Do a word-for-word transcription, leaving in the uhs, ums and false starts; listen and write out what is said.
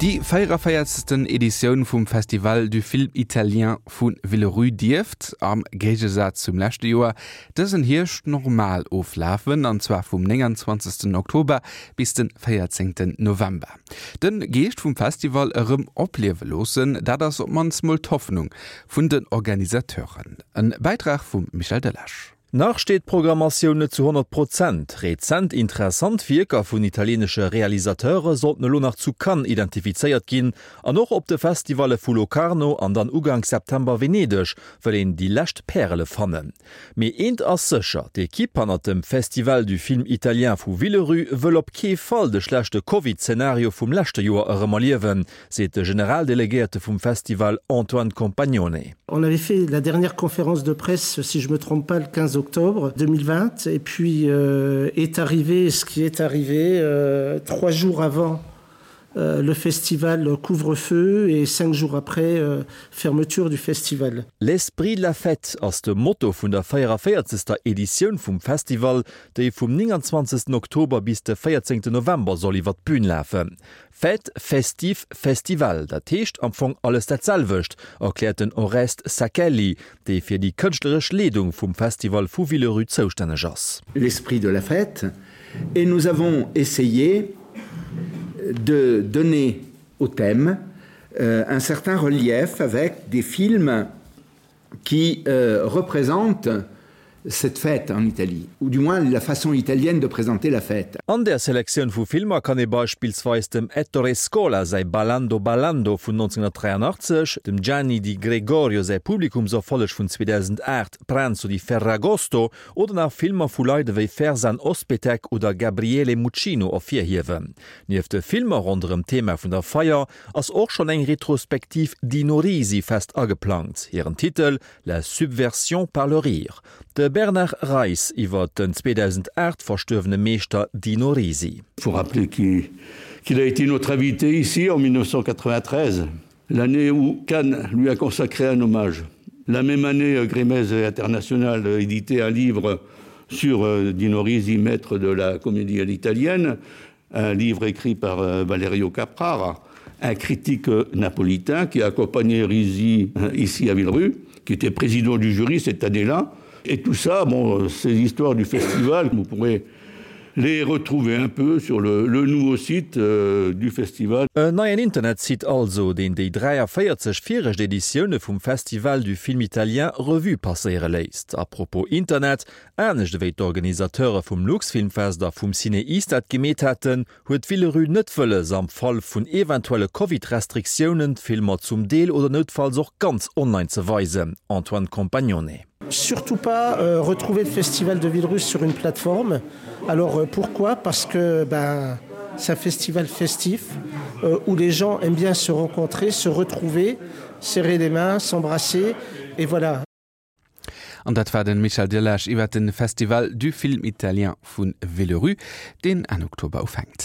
Déi véierevéierzegsten Editioun vum Festival du Film Italien vu Villerupt dierft am Géigesaz zum leschte Joer dësen Hierscht normal oflafen, an zwar vum nénganzwanzegsten Oktober bis de véierzéngten November. De Geescht vum Festival erëm opliewe loossen, dat ass op d'mannst mol d'Hoffnung vun den Organisateuren. E Bäitrag vum Michel Delage. Nach steet d'Programmatioun net zu honnert Prozent. Rezent interessant Wierker vun italieenesche Realisateure sollten elo nach zu Cannes identifizéiert ginn an och op de Festivalle vu Locarno an dann Uganks September Venedeg wëll een déi lescht Pärele fannen. Mee eent ass sécher, d'Ekipp hannert dem Festival du Film Italien vu Villerupt wëll op kee Fall de schlechte Covid-Zenario vum leschte Joer erëm erliewen, seet de Generaldelegéierte vum Festival Antoine Compagnone. On avait fait la dernière conférence de presse, si je me trompe pas, le quinze octobre deux mille vingt et puis euh, est arrivé ce qui est arrivé euh, trois jours avant euh, le festival couvre-feu et cinq jours après euh, fermeture du festival. L'esprit de la fête ass de Motto vun der véierevéierzegster Editioun vum Festival, déi vum nénganzwanzegsten Oktober bis de véierzéngten November soll iwwer d'Bün lafen. Fête, festif, festival, dat heescht am Fong alles dat selwecht, erkläert den Oreste Sacchelli, dee fir déi kënschtleresch Leedung vum Festival vu Villerupt zoustänneg ass. L'esprit de la fête et nous avons essayé de donner au thème euh, un certain relief avec des films qui euh, représentent cette fête en Italie, ou du moins la façon italienne de présenter la fête. An der Selektioun vu Filmer kann ee beispillsweis dem Ettore Scola säi Ballando Ballando vun nonzénhunnertdräianachtzeg, dem Gianni Di Gregorio säi Publikumserfolleg vun zweedausendacht Pranzo di Ferragosto oder nach Filmer vu Leit ewéi Ferzan Özpetek oder Gabriele Muccino ervirhiewen. Nieft de Filmer ronderëm d'Thema vun der Feier ass och schonn eng Retrospektiv Dino Risi fest ageplangt. Hiren Titel, La subversion par le rire. De Bernard Reis iwwer den zweedausendacht verstuerwene Meeschter Dino Risi. Il faut rappeler qu'il a été notre invité ici en mille neuf cent quatre-vingt-treize, l'année où Cannes lui a consacré un hommage. La même année, Grémez International éditait un livre sur Dino Risi, maître de la comédie à l'italienne, un livre écrit par Valerio Caprara, un critique napolitain qui a accompagné Risi ici à Villerupt, qui était président du jury cette année-là. Et tout ça, bon, ces histoires du festival, vous pourrez les retrouver un peu sur le, le nouveau site euh, du festival. En neien Internetsite also, deen déi dräiavéierzeg viregt Editioune vum Festival du Film Italien Revue passéiere léisst. A propos Internet, anescht ewéi d'Organisateure vum Luxfilmfest a vum CinEast dat gemeet haten, huet Villerupt net wëlles, am Fall vun eventuelle Covid-Restriktiounen d'Filmer zum Deel oder noutfalls och ganz online ze weisen. Antoine Compagnone. Surtout pas euh, retrouver le festival de Villerupt sur une plateforme. Alors euh, pourquoi? Parce que ben, c'est un festival festif, euh, où les gens aiment bien se rencontrer, se retrouver, serrer les mains, s'embrasser et voilà. An dat war den Michel Delage iwwer den Festival du Film Italien vun Villerupt, deen Enn Oktober ufänkt.